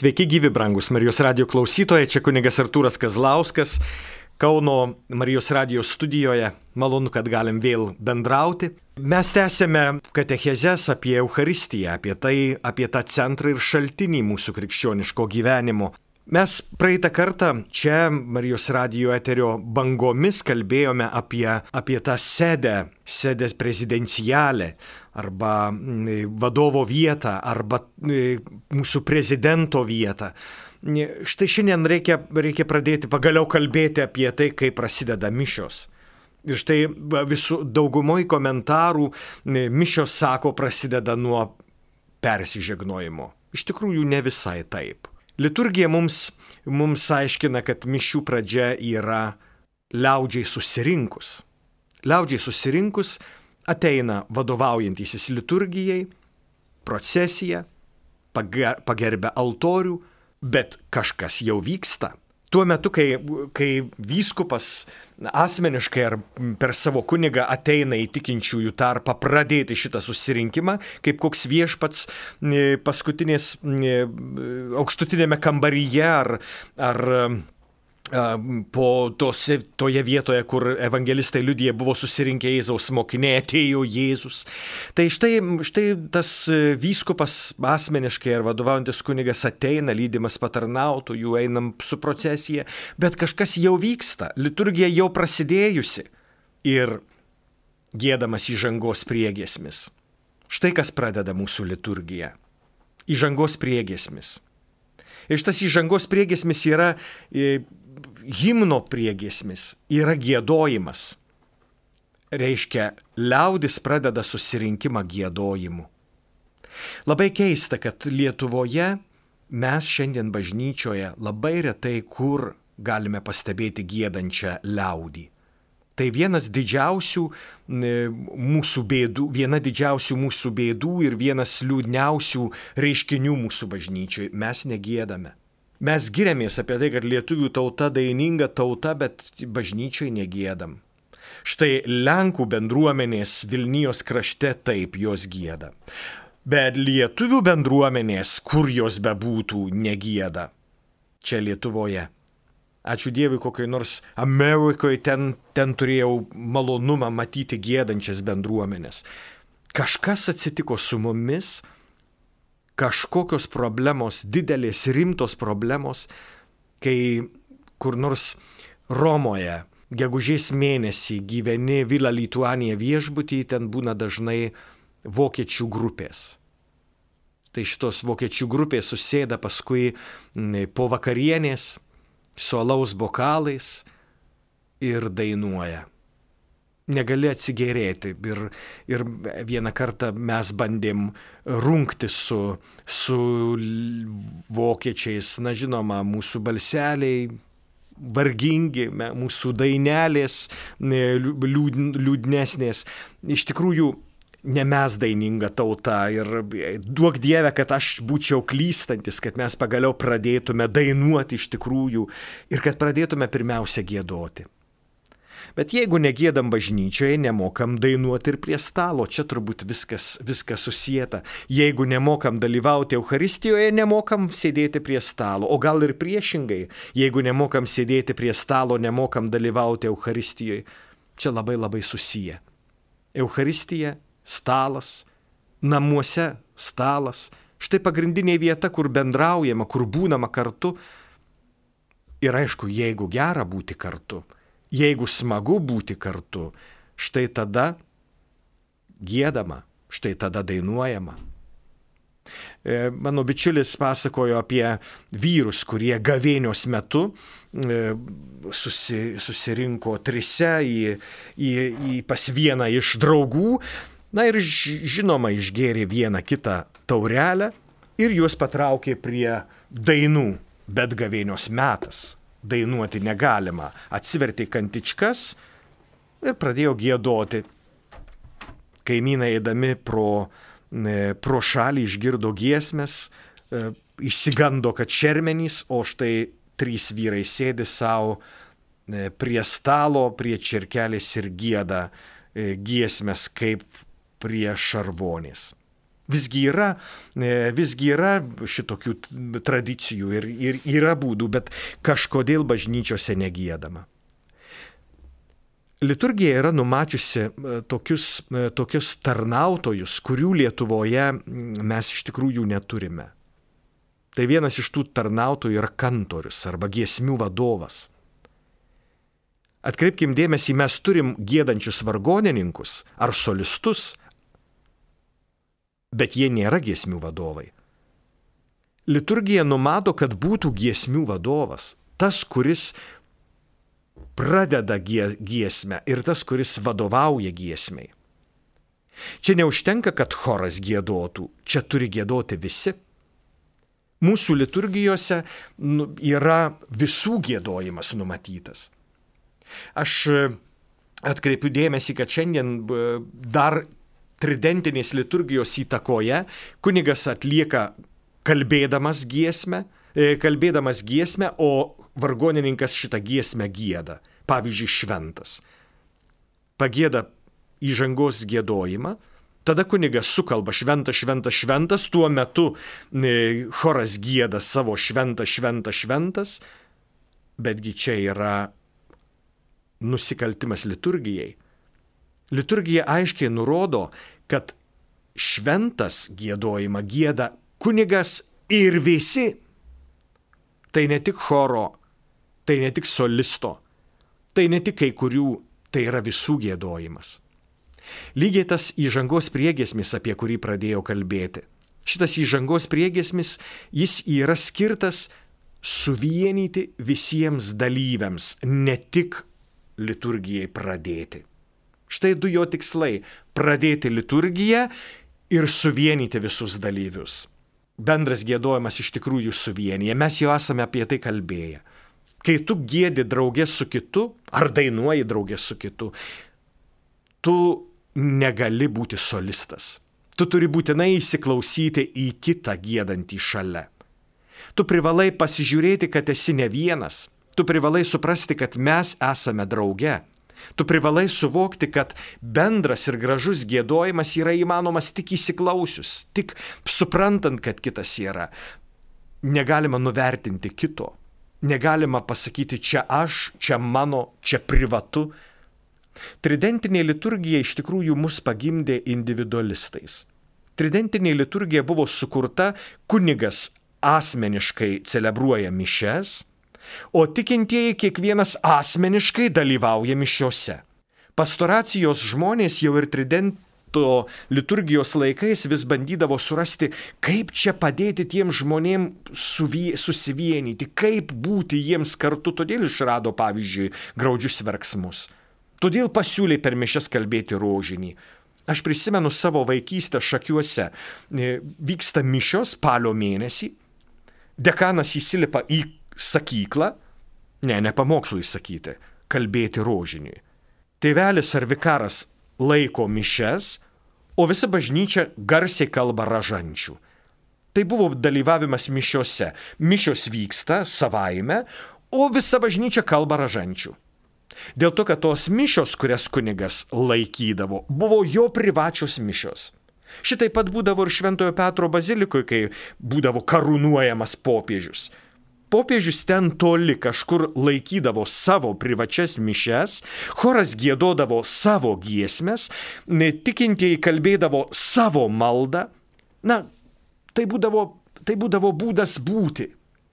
Sveiki gyvi, brangus Marijos radijo klausytojai, čia kunigas Artūras Kazlauskas, Kauno Marijos radijo studijoje. Malonu, kad galim vėl bendrauti. Mes tęsėme katechezes apie Eucharistiją, apie tą centrą ir šaltinį mūsų krikščioniško gyvenimo. Mes praeitą kartą čia Marijos radijo eterio bangomis kalbėjome apie tą sedes prezidencialę arba vadovo vietą arba mūsų prezidento vietą. Štai šiandien reikia pradėti pagaliau kalbėti apie tai, kaip prasideda mišios. Ir štai daugumoj komentarų mišios, sako, prasideda nuo persižegnojimo. Iš tikrųjų ne visai taip. Liturgija mums aiškina, kad mišių pradžia yra liaudžiai susirinkus. Liaudžiai susirinkus ateina vadovaujantysis liturgijai, procesija, pagerbia altorių, bet kažkas jau vyksta. Tuo metu, kai vyskupas asmeniškai ar per savo kunigą ateina į tikinčiųjų tarpą pradėti šitą susirinkimą, kaip koks viešpats paskutinės aukštutinėme kambaryje ar toje vietoje, kur evangelistai liudija, buvo susirinkę Jėzaus mokiniai, atėjo Jėzus. Tai štai tas vyskupas asmeniškai ar vadovaujantis kunigas ateina, lydimas patarnautojų, einam su procesija, bet kažkas jau vyksta, liturgija jau prasidėjusi ir giedamas įžangos priegiesmis. Štai kas pradeda mūsų liturgiją. Įžangos priegiesmis. Ir šitas įžangos priegiesmis yra himno priegiesmis, yra giedojimas. Reiškia, liaudis pradeda susirinkimą giedojimu. Labai keista, kad Lietuvoje mes šiandien bažnyčioje labai retai kur galime pastebėti giedančią liaudį. Tai viena didžiausių mūsų bėdų ir vienas liūdniausių reiškinių mūsų bažnyčiai. Mes negiedame. Mes giriamės apie tai, kad lietuvių tauta daininga tauta, bet bažnyčiai negiedam. Štai Lenkų bendruomenės Vilnijos krašte taip jos gieda. Bet lietuvių bendruomenės, kur jos bebūtų, negieda. Čia Lietuvoje. Ačiū Dievui, kokiai nors Amerikoje ten turėjau malonumą matyti giedančias bendruomenės. Kažkas atsitiko su mumis, kažkokios problemos, didelės rimtos problemos, kai kur nors Romoje gegužės mėnesį gyveni Villa Lituanija viešbutyje, ten būna dažnai vokiečių grupės. Tai šitos vokiečių grupės susėda paskui po vakarienės su alaus bokalais ir dainuoja. Negali atsigėrėti. Ir vieną kartą mes bandėm rungti su vokiečiais. Na žinoma, mūsų balseliai vargingi, mūsų dainelės liūdnesnės. Iš tikrųjų, ne mes daininga tauta ir duok Dieve, kad aš būčiau klystantis, kad mes pagaliau pradėtume dainuoti iš tikrųjų ir kad pradėtume pirmiausia giedoti. Bet jeigu negiedam bažnyčioje, nemokam dainuoti ir prie stalo, čia turbūt viskas susieta. Jeigu nemokam dalyvauti Eucharistijoje, nemokam sėdėti prie stalo, o gal ir priešingai, jeigu nemokam sėdėti prie stalo, nemokam dalyvauti Eucharistijoje, čia labai labai susiję. Eucharistija, stalas, namuose stalas, štai pagrindinė vieta, kur bendraujama, kur būnama kartu. Ir aišku, jeigu gera būti kartu, jeigu smagu būti kartu, štai tada giedama, štai tada dainuojama. Mano bičiulis pasakojo apie vyrus, kurie gavėnios metu susirinko trise pas vieną iš draugų, na ir žinoma išgėrė vieną kitą taurelę ir juos patraukė prie dainų, bet gavėnios metas. Dainuoti negalima. Atsivertė kantičkas ir pradėjo giedoti. Kaimynai eidami pro šalį išgirdo giesmes, išsigando, kad šermenys, o štai 3 vyrai sėdi savo prie stalo, prie čirkelės ir gieda giesmes kaip prie šarvonės. Visgi yra šitokių tradicijų ir yra būdų, bet kažkodėl bažnyčiose negiedama. Liturgija yra numačiusi tokius tarnautojus, kurių Lietuvoje mes iš tikrųjų neturime. Tai vienas iš tų tarnautojų yra kantorius arba giesmių vadovas. Atkreipkim dėmesį, mes turim giedančius vargonininkus ar solistus, bet jie nėra giesmių vadovai. Liturgija numato, kad būtų giesmių vadovas, tas, kuris pradeda giesmę ir tas, kuris vadovauja giesmei. Čia neužtenka, kad choras giedotų, čia turi giedoti visi. Mūsų liturgijose yra visų giedojimas numatytas. Aš atkreipiu dėmesį, kad šiandien dar tridentinės liturgijos įtakoje kunigas atlieka kalbėdamas giesmę, o vargonininkas šitą giesmę gieda. Pavyzdžiui, šventas. Pagieda įžangos giedojimą, tada kunigas sukalba šventas, šventas, šventas, tuo metu choras gieda savo šventas, šventas, šventas, betgi čia yra nusikaltimas liturgijai. Liturgija aiškiai nurodo, kad šventas giedojimą gieda kunigas ir visi. Tai ne tik choro, tai ne tik solisto, tai ne tik kai kurių, tai yra visų giedojimas. Lygiai tas įžangos priegiesmis, apie kurį pradėjau kalbėti. Šitas įžangos priegiesmis, jis yra skirtas suvienyti visiems dalyviams, ne tik liturgijai pradėti. Štai du jo tikslai – pradėti liturgiją ir suvienyti visus dalyvius. Bendras giedojimas iš tikrųjų suvienyje, mes jau esame apie tai kalbėję. Kai tu giedi draugė su kitu, ar dainuoji draugė su kitu, tu negali būti solistas. Tu turi būtinai įsiklausyti į kitą giedantį šalia. Tu privalai pasižiūrėti, kad esi ne vienas. Tu privalai suprasti, kad mes esame drauge. Tu privalai suvokti, kad bendras ir gražus giedojimas yra įmanomas tik įsiklausius, tik suprantant, kad kitas yra. Negalima nuvertinti kito. Negalima pasakyti, čia aš, čia mano, čia privatu. Tridentinė liturgija iš tikrųjų mus pagimdė individualistais. Tridentinė liturgija buvo sukurta, kunigas asmeniškai celebruoja mišias, o tikintieji kiekvienas asmeniškai dalyvauja mišiose. Pastoracijos žmonės jau ir tridento liturgijos laikais vis bandydavo surasti, kaip čia padėti tiem žmonėm susivienyti, kaip būti jiems kartu, todėl išrado, pavyzdžiui, graudžius verksmus. Todėl pasiūlė per mišias kalbėti rožinį. Aš prisimenu savo vaikystę Šakiuose. Vyksta mišios spalio mėnesį. Dekanas įsilipa į sakyklą, ne pamokslui sakyti, kalbėti rožiniui. Tėvelis ar vikaras laiko mišias, o visa bažnyčia garsiai kalba ražančių. Tai buvo dalyvavimas mišiose. Mišios vyksta savaime, o visa bažnyčia kalba ražančių. Dėl to, kad tos mišios, kurias kunigas laikydavo, buvo jo privačios mišios. Šitai pat būdavo ir Šventojo Petro bazilikoje, kai būdavo karūnuojamas popiežius. Popiežius ten toli kažkur laikydavo savo privačias mišias, choras giedodavo savo giesmes, tikintieji kalbėdavo savo maldą. Tai būdavo būdas būti.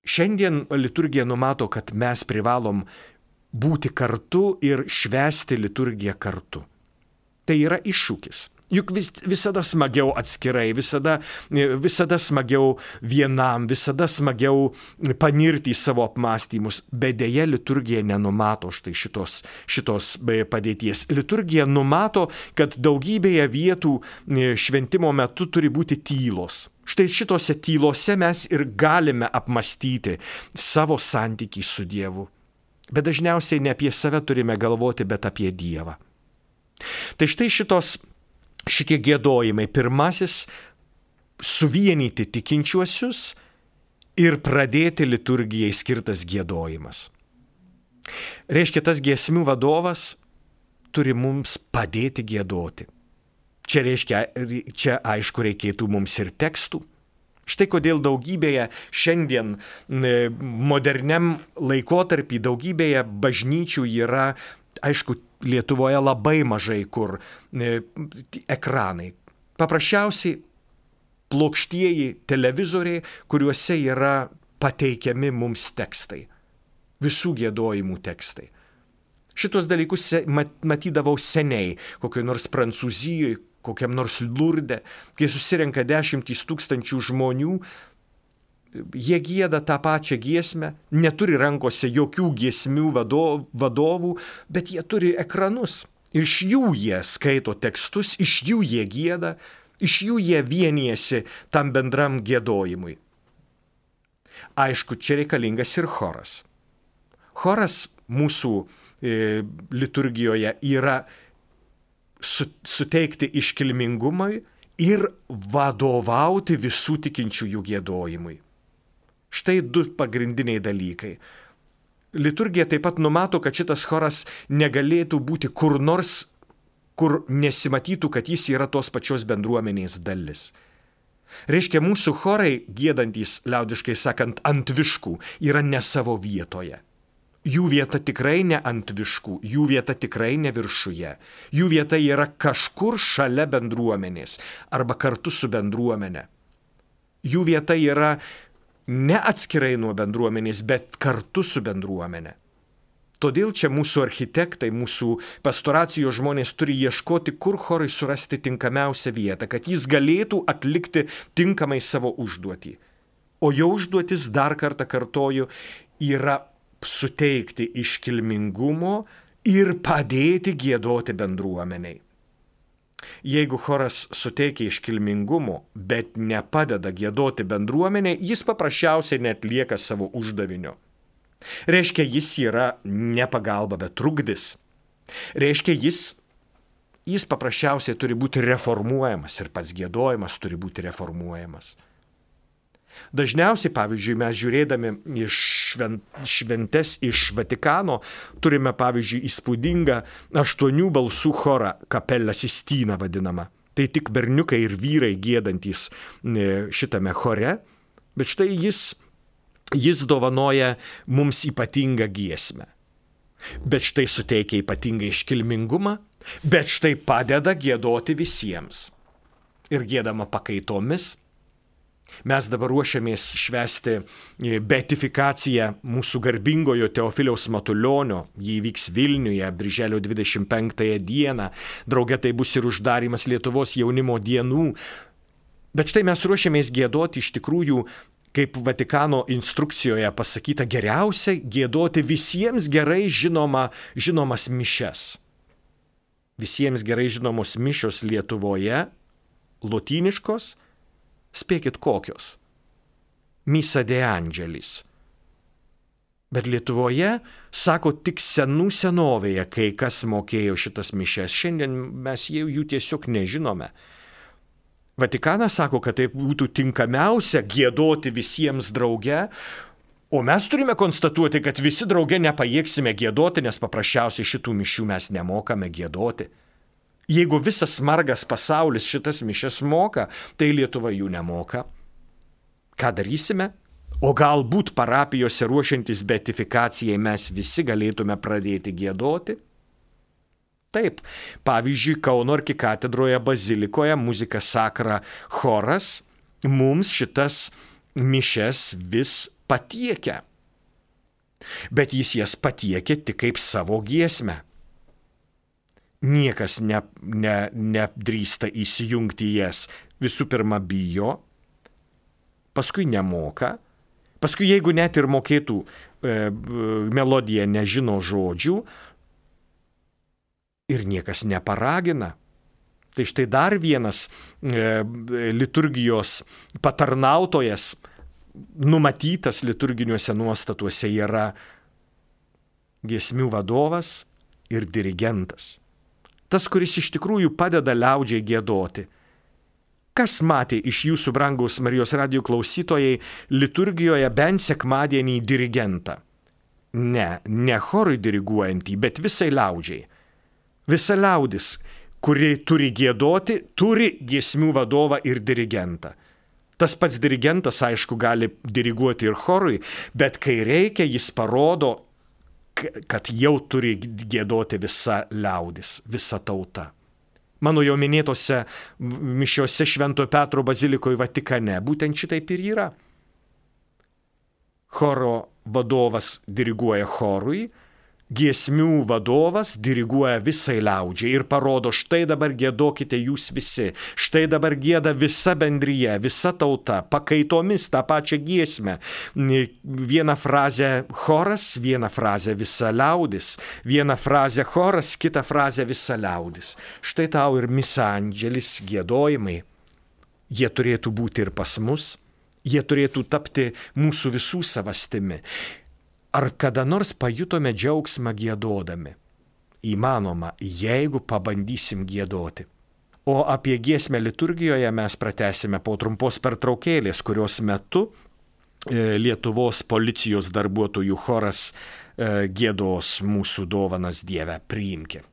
Šiandien liturgija numato, kad mes privalom būti kartu ir švęsti liturgiją kartu. Tai yra iššūkis. Juk visada smagiau atskirai, visada smagiau vienam, visada smagiau panirti į savo apmąstymus, bet deja liturgija nenumato štai šitos padėties. Liturgija numato, kad daugybėje vietų šventimo metu turi būti tylos. Štai šitose tylose mes ir galime apmąstyti savo santykį su Dievu. Bet dažniausiai ne apie save turime galvoti, bet apie Dievą. Tai štai šitie giedojimai. Pirmasis – suvienyti tikinčiuosius ir pradėti liturgijai skirtas giedojimas. Reiškia, tas giesmių vadovas turi mums padėti giedoti. Čia reiškia, čia aišku reikėtų mums ir tekstų. Štai kodėl daugybėje šiandien moderniam laikotarpį daugybėje bažnyčių yra, aišku, Lietuvoje labai mažai kur ekranai. Paprasčiausiai plokštieji televizoriai, kuriuose yra pateikiami mums tekstai. Visų giedojimų tekstai. Šitos dalykus matydavau seniai, kokioj nors Prancūzijoje, kokiam nors Lurde, kai susirenka 10 000 žmonių, jie gieda tą pačią giesmę, neturi rankose jokių giesmių vadovų, bet jie turi ekranus. Iš jų jie skaito tekstus, iš jų jie gieda, iš jų jie vienijasi tam bendram giedojimui. Aišku, čia reikalingas ir choras. Choras mūsų liturgijoje yra suteikti iškilmingumui ir vadovauti visų tikinčiųjų giedojimui. Štai 2 pagrindiniai dalykai. Liturgija taip pat numato, kad šitas choras negalėtų būti kur nors, kur nesimatytų, kad jis yra tos pačios bendruomenės dalis. Reiškia, mūsų chorai, giedantys, liaudiškai sakant, ant viškų, yra ne savo vietoje. Jų vieta tikrai ne ant viškų, jų vieta tikrai ne viršuje. Jų vieta yra kažkur šalia bendruomenės arba kartu su bendruomenė. Jų vieta yra ne atskirai nuo bendruomenės, bet kartu su bendruomenė. Todėl čia mūsų architektai, mūsų pastoracijos žmonės turi ieškoti, kur chorui surasti tinkamiausią vietą, kad jis galėtų atlikti tinkamai savo užduotį. O jo užduotis, dar kartą kartoju, yra suteikti iškilmingumo ir padėti giedoti bendruomeniai. Jeigu choras suteikia iškilmingumo, bet nepadeda giedoti bendruomeniai, jis paprasčiausiai neatlieka savo uždavinio. Reiškia, jis yra ne pagalba, bet trukdis. Reiškia, jis paprasčiausiai turi būti reformuojamas ir pats giedojimas turi būti reformuojamas. Dažniausiai, pavyzdžiui, mes žiūrėdami iš šventes iš Vatikano, turime, pavyzdžiui, įspūdingą 8 balsų chorą, Capella Sistina vadinama. Tai tik berniukai ir vyrai giedantys šitame chore, bet štai jis dovanoja mums ypatingą giesmę. Bet štai suteikia ypatingą iškilmingumą, bet štai padeda giedoti visiems. Ir giedama pakaitomis. Mes dabar ruošiamės švęsti beatifikaciją mūsų garbingojo Teofiliaus Matulionio. Jį vyks Vilniuje, birželio 25 dieną. Drauge tai bus ir uždarimas Lietuvos jaunimo dienų. Bet štai mes ruošiamės giedoti iš tikrųjų, kaip Vatikano instrukcijoje pasakyta, geriausia giedoti visiems gerai žinomas mišias. Visiems gerai žinomos mišios Lietuvoje, lotyniškos, spėkit kokios. Misa de Angelis. Bet Lietuvoje, sako, tik senų senovėje kai kas mokėjo šitas mišias. Šiandien mes jų tiesiog nežinome. Vatikanas sako, kad tai būtų tinkamiausia giedoti visiems drauge, o mes turime konstatuoti, kad visi drauge nepajėgsime giedoti, nes paprasčiausiai šitų mišių mes nemokame giedoti. Jeigu visas margas pasaulis šitas mišias moka, tai Lietuva jų nemoka. Ką darysime? O galbūt parapijose ruošiantis beatifikacijai mes visi galėtume pradėti giedoti? Taip, pavyzdžiui, Kauno arkikatedroje bazilikoje muzika sakra choras mums šitas mišias vis patiekia. Bet jis jas patiekia tik kaip savo giesmę. Niekas nedrįsta įsijungti jas. Visų pirma bijo, paskui nemoka, paskui jeigu net ir mokėtų melodiją, nežino žodžių ir niekas neparagina. Tai štai dar vienas liturgijos patarnautojas numatytas liturginiuose nuostatuose yra giesmių vadovas ir dirigentas. Tas, kuris iš tikrųjų padeda liaudžiai giedoti. Kas matė iš jūsų, brangaus Marijos radijo klausytojai, liturgijoje bent sekmadienį dirigentą? Ne chorui diriguojantį, bet visai liaudžiai. Visa liaudis kuri turi giedoti, turi giesmių vadovą ir dirigentą. Tas pats dirigentas, aišku, gali diriguoti ir chorui, bet kai reikia, jis parodo, kad jau turi giedoti visa liaudis, visa tauta. Mano jau minėtose mišiose Šventojo Petro bazilikoje Vatikane būtent šitaip ir yra. Choro vadovas diriguoja chorui, giesmių vadovas diriguoja visai liaudžiai ir parodo, štai dabar giedokite jūs visi, štai dabar gieda visa bendrija, visa tauta, pakaitomis tą pačią giesmę. Vieną frazę choras, vieną frazę visa liaudis, vieną frazę choras, kitą frazę visa liaudis. Štai tau ir misa angelis giedojimai. Jie turėtų būti ir pas mus, jie turėtų tapti mūsų visų savastimi. Ar kada nors pajutome džiaugsmą giedodami? Įmanoma, jeigu pabandysim giedoti. O apie giesmę liturgijoje mes pratęsime po trumpos pertraukėlės, kurios metu Lietuvos policijos darbuotojų choras giedos mūsų dovanas Dieve priimki.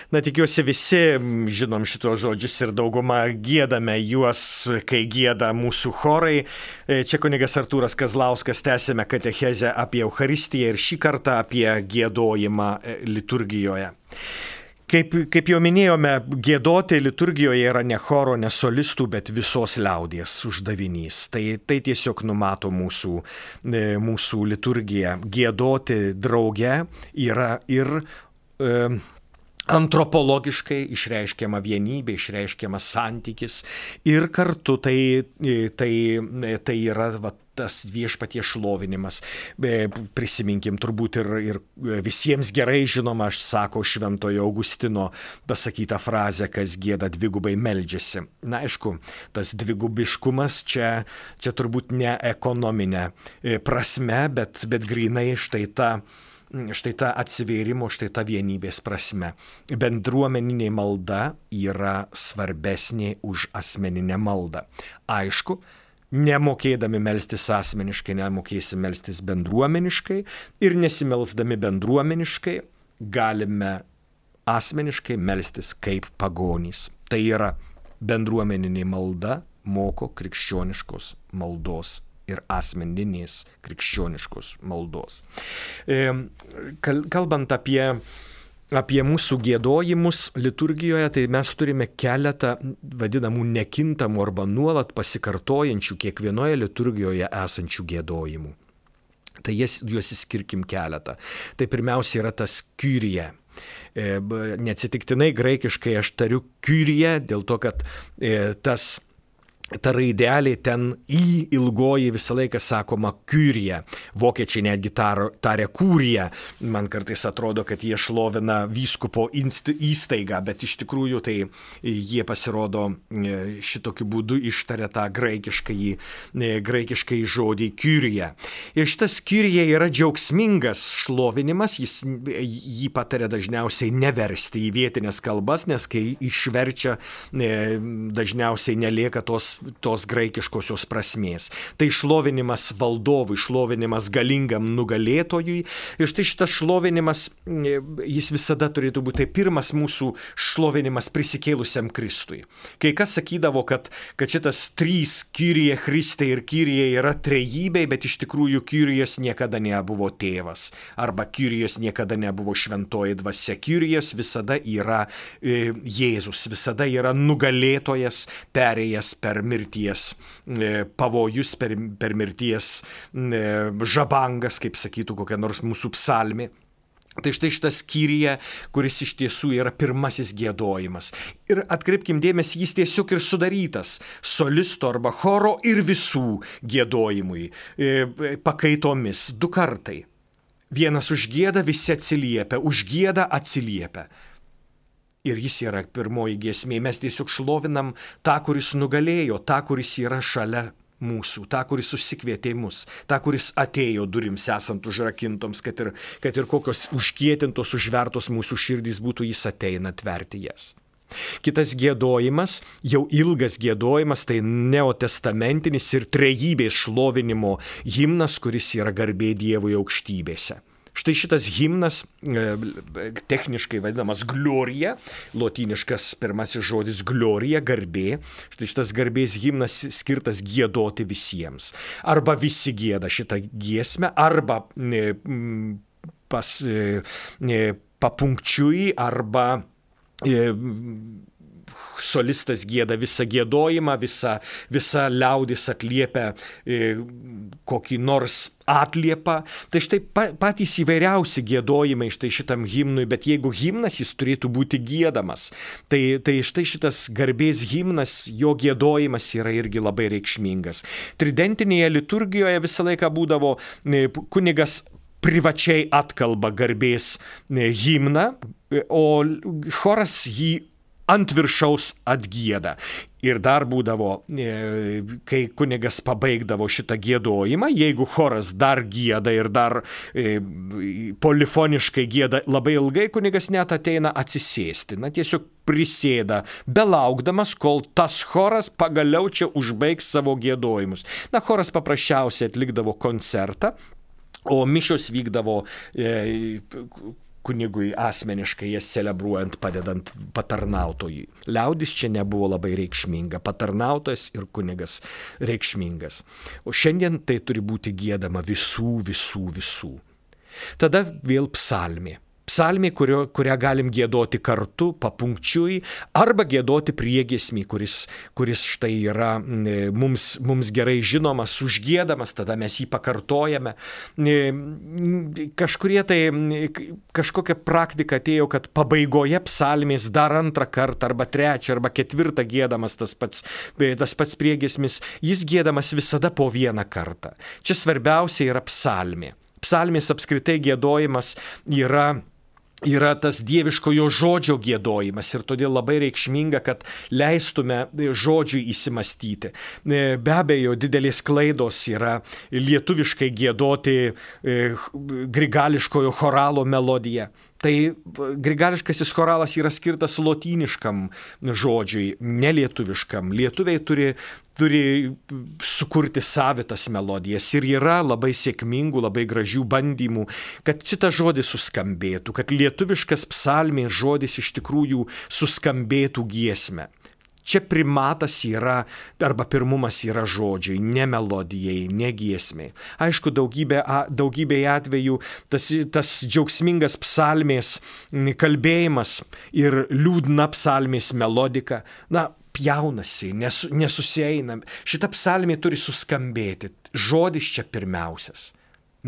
Na, tikiuosi visi žinom šitos žodžius ir dauguma giedame juos, kai gieda mūsų chorai. Čia kunigas Artūras Kazlauskas, tęsime katechezę apie Eucharistiją ir šį kartą apie giedojimą liturgijoje. Kaip jau minėjome, giedoti liturgijoje yra ne choro, ne solistų, bet visos liaudies uždavinys. Tai tiesiog numato mūsų liturgiją. Giedoti drauge yra ir antropologiškai išreiškiama vienybė, išreiškiamas santykis ir kartu tai yra tas viešpaties šlovinimas. Prisiminkim turbūt ir visiems gerai žinoma, aš sako Šventojo Augustino pasakytą frazę, kas gieda dvigubai meldžiasi. Na, aišku, tas dvigubiškumas čia turbūt ne ekonominė prasme, bet grinai štai ta atsivėrimo, štai ta vienybės prasme. Bendruomeninė malda yra svarbesnė už asmeninę maldą. Aišku, nemokėdami melstis asmeniškai, nemokėsim melstis bendruomeniškai ir nesimelsdami bendruomeniškai galime asmeniškai melstis kaip pagonys. Tai yra bendruomeninė malda moko krikščioniškos maldos ir asmeninės krikščioniškos maldos. Kalbant apie mūsų giedojimus liturgijoje, tai mes turime keletą vadinamų nekintamų arba nuolat pasikartojančių kiekvienoje liturgijoje esančių giedojimų. Tai juos išskirkim keletą. Tai pirmiausia yra tas Kyrie. Neatsitiktinai graikiškai aš tariu Kyrie, dėl to, kad ta raidelė ten į ilgoji visą laiką sakoma Kyrie. Vokiečiai netgi taria Kūrija. Man kartais atrodo, kad jie šlovina vyskupo įstaigą, bet iš tikrųjų tai jie pasirodo šitokiu būdu ištaria tą graikiškai žodį Kyrie. Ir šitas Kyrie yra džiaugsmingas šlovinimas, jį pataria dažniausiai neversti į vietinės kalbas, nes kai išverčia, dažniausiai nelieka tos graikiškosios prasmės. Tai šlovinimas valdovui, šlovinimas galingam nugalėtojui. Ir štai šitas šlovinimas, jis visada turėtų būti pirmas mūsų šlovinimas prisikėlusiam Kristui. Kai kas sakydavo, kad šitas trys Kyrie Christe ir Kyrie yra trejybė, bet iš tikrųjų Kyrijos niekada nebuvo tėvas. Arba Kyrijos niekada nebuvo šventoji dvasia. Kyrijos visada yra Jėzus, visada yra nugalėtojas, perėjęs per mirties pavojus, per mirties žabangas, kaip sakytų kokia nors mūsų psalmė. Tai štai šitas Kyrie, kuris iš tiesų yra pirmasis giedojimas. Ir atkreipkim dėmesį, jis tiesiog ir sudarytas solisto arba choro ir visų giedojimui, pakaitomis, 2 kartai. Vienas užgieda, visi atsiliepia, užgieda, atsiliepia. Ir jis yra pirmoji giesmė. Mes tiesiog šlovinam tą, kuris nugalėjo, tą, kuris yra šalia mūsų, tą, kuris susikvietė mus, tą, kuris atėjo durims esant užrakintoms, kad ir kokios užkietintos, užvertos mūsų širdys būtų, jis ateina atverti jas. Kitas giedojimas, jau ilgas giedojimas, tai neotestamentinis ir trejybės šlovinimo himnas, kuris yra garbė Dievui aukštybėse. Štai šitas himnas, techniškai vadinamas Gloria, lotyniškas pirmasis žodis Gloria, garbė. Štai šitas garbės himnas skirtas giedoti visiems. Arba visi gieda šitą giesmę, arba papunkčiui, arba solistas gieda visą giedojimą, visa liaudis atliepia kokį nors atliepą. Tai štai patys įvairiausi giedojimai štai šitam himnui, bet jeigu himnas, jis turėtų būti giedamas. Tai štai šitas garbės himnas, jo giedojimas yra irgi labai reikšmingas. Tridentinėje liturgijoje visą laiką būdavo kunigas privačiai atkalba garbės himną, o choras jį ant viršaus atgieda. Ir dar būdavo, kai kunigas pabaigdavo šitą giedojimą, jeigu choras dar gieda ir dar polifoniškai gieda labai ilgai, kunigas net ateina atsisėsti. Tiesiog prisėda, belaukdamas, kol tas choras pagaliau čia užbaigs savo giedojimus. Choras paprasčiausiai atlikdavo koncertą, o mišios vykdavo kunigui asmeniškai jas celebruojant, padedant patarnautojui. Liaudis čia nebuvo labai reikšminga, patarnautojas ir kunigas reikšmingas. O šiandien tai turi būti giedama visų. Tada vėl psalmė. Psalmė, kurią galim giedoti kartu, papunkčiui, arba giedoti priegiesmį, kuris štai yra mums gerai žinomas, užgiedamas, tada mes jį pakartojame. Kažkokia praktika atėjo, kad pabaigoje psalmės dar 2 kartą, arba 3, arba 4 giedamas tas pats priegiesmis, jis giedamas visada po 1 kartą. Čia svarbiausia yra psalmė. Psalmės apskritai giedojimas yra tas dieviškojo žodžio giedojimas ir todėl labai reikšminga, kad leistume žodžiui įsimastyti. Be abejo, didelės klaidos yra lietuviškai giedoti grigališkojo choralo melodiją. Tai grigališkasis choralas yra skirtas lotyniškam žodžiui, nelietuviškam. Lietuviai turi sukurti savitas melodijas ir yra labai sėkmingų, labai gražių bandymų, kad šitas žodis suskambėtų, kad lietuviškas psalmės žodis iš tikrųjų suskambėtų giesme. Čia primatas yra, arba pirmumas yra žodžiai, ne melodijai, ne giesmiai. Aišku, daugybėje atvejų tas džiaugsmingas psalmės kalbėjimas ir liūdna psalmės melodika, pjaunasi, nesusieina. Šita psalmė turi suskambėti. Žodis čia pirmiausias.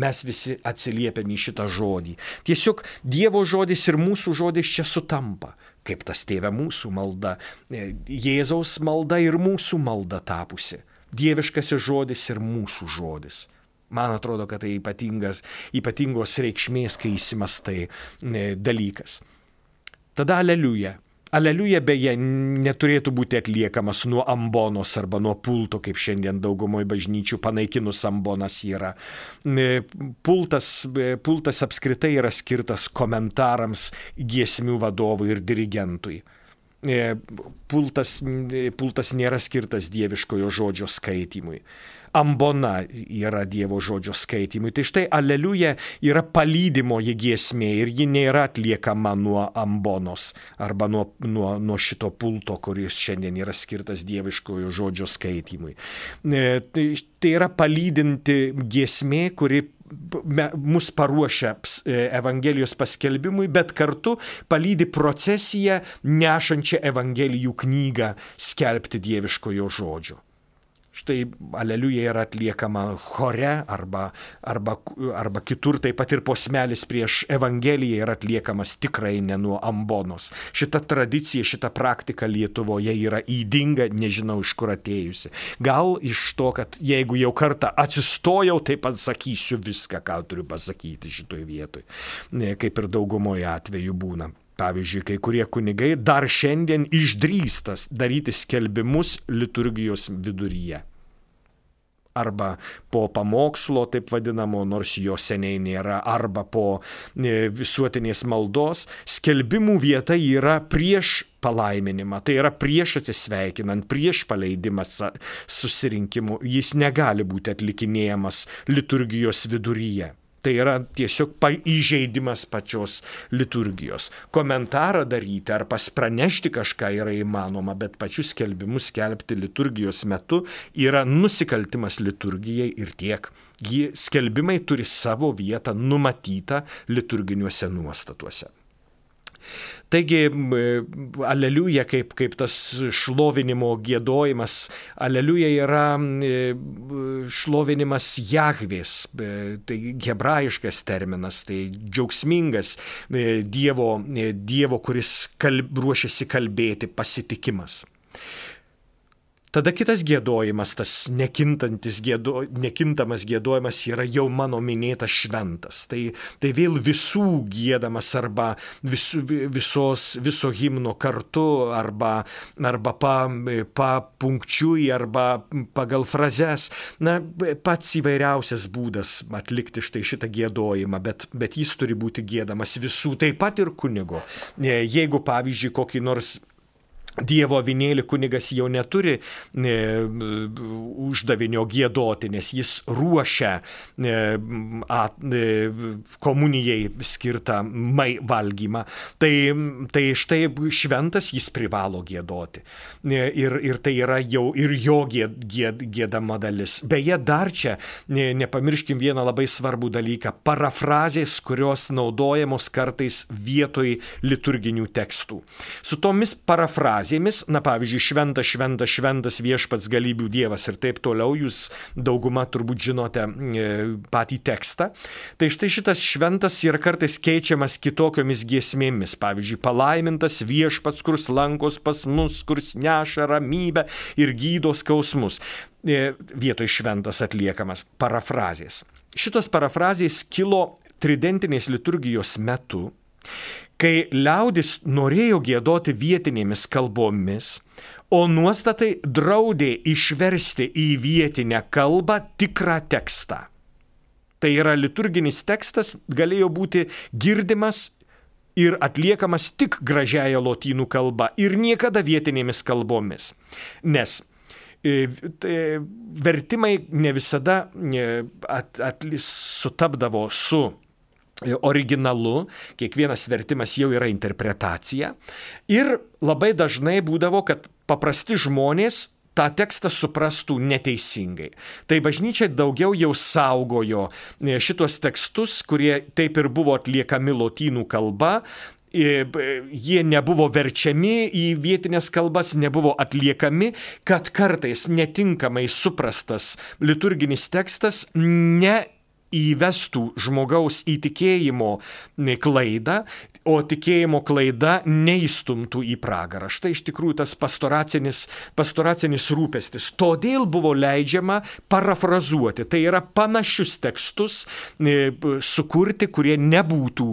Mes visi atsiliepiam į šitą žodį. Tiesiog Dievo žodis ir mūsų žodis čia sutampa. Kaip tas Tėve mūsų malda, Jėzaus malda ir mūsų malda tapusi. Dieviškasis žodis ir mūsų žodis. Man atrodo, kad tai ypatingos reikšmės, kai įsimastai dalykas. Tada aleliuja. Aleliuja beje neturėtų būti atliekamas nuo ambonos arba nuo pulto, kaip šiandien daugumoje bažnyčių panaikinus ambonas yra. Pultas apskritai yra skirtas komentarams, giesmių vadovui ir dirigentui. Pultas nėra skirtas dieviškojo žodžio skaitimui. Ambona yra Dievo žodžio skaitimui. Tai štai aleliuja yra palydimoji giesmė ir ji nėra atliekama nuo ambonos arba nuo šito pulto, kuris šiandien yra skirtas dieviškojo žodžio skaitimui. Tai yra palydinti giesmė, kuri mus paruošia Evangelijos paskelbimui, bet kartu palydi procesiją nešančią Evangelijų knygą skelbti dieviškojo žodžio. Štai aleliuja yra atliekama chore arba kitur, taip pat ir posmelis prieš Evangeliją yra atliekamas tikrai ne nuo ambonos. Šita tradicija, šita praktika Lietuvoje yra ydinga, nežinau iš kur atėjusi. Gal iš to, kad jeigu jau kartą atsistojau, tai pasakysiu viską, ką turiu pasakyti šitoj vietoj, kaip ir daugumoje atveju būna. Pavyzdžiui, kai kurie kunigai dar šiandien išdrįstas daryti skelbimus liturgijos viduryje. Arba po pamokslo, taip vadinamo, nors jo seniai nėra, arba po visuotinės maldos. Skelbimų vieta yra prieš palaiminimą, tai yra prieš atsisveikinant, prieš paleidimą susirinkimų. Jis negali būti atlikinėjamas liturgijos viduryje. Tai yra tiesiog įžeidimas pačios liturgijos. Komentarą daryti ar pranešti kažką yra įmanoma, bet pačius skelbimus skelbti liturgijos metu yra nusikaltimas liturgijai ir tiek. Skelbimai turi savo vietą numatytą liturginiuose nuostatuose. Taigi, aleliuja kaip tas šlovinimo giedojimas, aleliuja yra šlovinimas Jahvės, tai hebrajiškas terminas, tai džiaugsmingas Dievo, kuris ruošiasi kalbėti, pasitikimas. Tada kitas giedojimas, tas nekintamas giedojimas yra jau mano minėtas šventas. Tai vėl visų giedamas arba viso himno kartu arba punkčiui arba pagal frazes. Pats įvairiausias būdas atlikti štai šitą giedojimą, bet jis turi būti giedamas visų, taip pat ir kunigo. Jeigu, pavyzdžiui, kokį nors Dievo avinėlį kunigas jau neturi uždavinio giedoti, nes jis ruošia komunijai skirtą valgymą. Tai štai šventas jis privalo giedoti. Ir tai yra jau ir jo giedama dalis. Beje, dar čia nepamirškim vieną labai svarbų dalyką. Parafrazės, kurios naudojamos kartais vietoj liturginių tekstų. Su tomis parafrazėmis, pavyzdžiui, šventas viešpats galybių Dievas ir taip toliau, jūs dauguma turbūt žinote patį tekstą. Tai štai šitas šventas yra kartais keičiamas kitokiomis giesmėmis. Pavyzdžiui, palaimintas viešpats, kurs lankos pas mus, kurs neša ramybę ir gydo skausmus. Vietoj šventas atliekamas parafrazės. Šitos parafrazės kilo tridentinės liturgijos metu, kai liaudis norėjo giedoti vietinėmis kalbomis, o nuostatai draudė išversti į vietinę kalbą tikrą tekstą. Tai yra liturginis tekstas galėjo būti girdimas ir atliekamas tik gražiaja lotynų kalba ir niekada vietinėmis kalbomis. Nes vertimai ne visada sutapdavo su originalu, kiekvienas vertimas jau yra interpretacija ir labai dažnai būdavo, kad paprasti žmonės tą tekstą suprastų neteisingai. Tai bažnyčia daugiau jau saugojo šitos tekstus, kurie taip ir buvo atliekami lotynų kalba. Jie nebuvo verčiami į vietinės kalbas, nebuvo atliekami, kad kartais netinkamai suprastas liturginis tekstas neįvestų žmogaus į tikėjimo klaidą, o tikėjimo klaida neįstumtų į pragarą. Štai iš tikrųjų tas pastoracinis rūpestis. Todėl buvo leidžiama parafrazuoti. Tai yra panašius tekstus sukurti, kurie nebūtų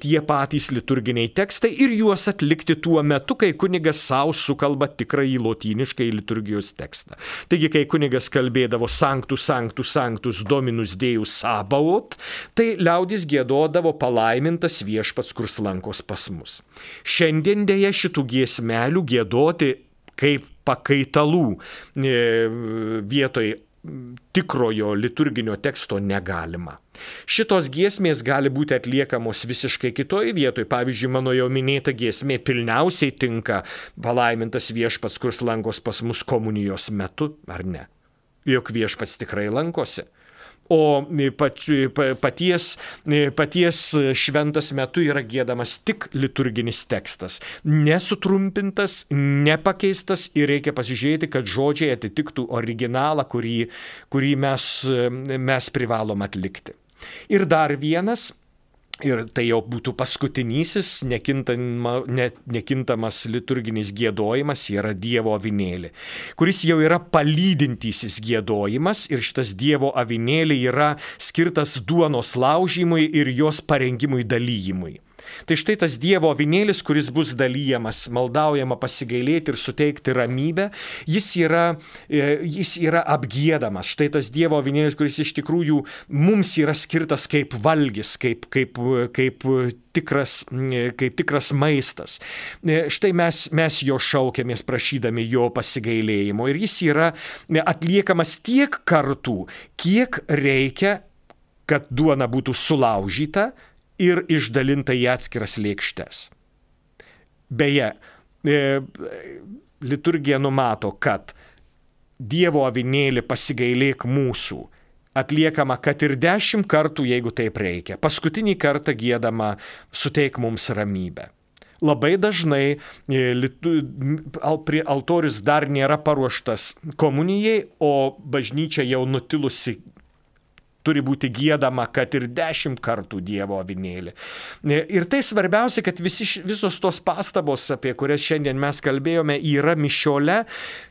tie patys liturginiai tekstai ir juos atlikti tuo metu, kai kunigas savo sukalba tikrąjį lotyniškai liturgijos tekstą. Taigi, kai kunigas kalbėdavo Sanctus, Sanctus, Sanctus, Dominus Deus Sabaoth, tai liaudis giedodavo palaimintas viešpats, kur slankos pas mus. Šiandien dėja šitų giesmelių giedoti kaip pakaitalų vietoj tikrojo liturginio teksto negalima. Šitos giesmės gali būti atliekamos visiškai kitoj vietoj. Pavyzdžiui, mano jau minėta giesmė pilniausiai tinka palaimintas viešpats, kur slankos pas mus komunijos metu, ar ne? Juk viešpats tikrai lankosi. O paties šventas metu yra giedamas tik liturginis tekstas. Nesutrumpintas, nepakeistas ir reikia pasižiūrėti, kad žodžiai atitiktų originalą, kurį mes privalom atlikti. Ir dar vienas, ir tai jau būtų paskutinysis nekintamas liturginis giedojimas, yra Dievo avinėlį, kuris jau yra palydintysis giedojimas ir šitas Dievo avinėlį yra skirtas duonos laužymui ir jos parengimui dalyjimui. Tai štai tas Dievo avinėlis, kuris bus dalyjamas, maldaujama pasigailėti ir suteikti ramybę, jis yra apgiedamas. Štai tas Dievo avinėlis, kuris iš tikrųjų mums yra skirtas kaip valgis, kaip tikras maistas. Štai mes jo šaukiamės prašydami jo pasigailėjimo ir jis yra atliekamas tiek kartų, kiek reikia, kad duona būtų sulaužyta ir išdalinta į atskiras lėkštes. Beje, liturgija numato, kad Dievo avinėlį pasigailėk mūsų atliekama kad ir 10 kartų, jeigu taip reikia. Paskutinį kartą giedama suteik mums ramybę. Labai dažnai altorius dar nėra paruoštas komunijai, o bažnyčia jau nutilusi turi būti giedama, kad ir 10 kartų Dievo avinėlį. Ir tai svarbiausia, kad visos tos pastabos, apie kurias šiandien mes kalbėjome, yra mišiole,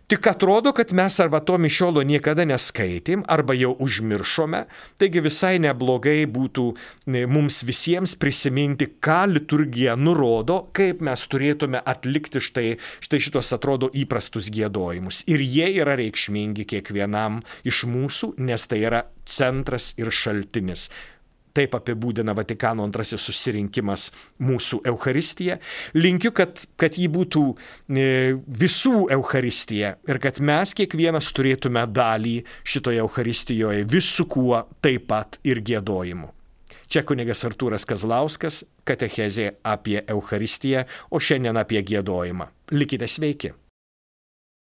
tik atrodo, kad mes arba to mišiolo niekada neskaitėm, arba jau užmiršome. Taigi visai neblogai būtų mums visiems prisiminti, ką liturgija nurodo, kaip mes turėtume atlikti štai šitos atrodo įprastus giedojimus. Ir jie yra reikšmingi kiekvienam iš mūsų, nes tai yra centras ir šaltinis. Taip apibūdina Vatikano II susirinkimas mūsų Eucharistiją. Linkiu, kad ji būtų visų Eucharistija ir kad mes kiekvienas turėtume dalį šitoje Eucharistijoje visu kuo, taip pat ir giedojimu. Čia kunigas Artūras Kazlauskas, katechezė apie Eucharistiją, o šiandien apie giedojimą. Likite sveiki.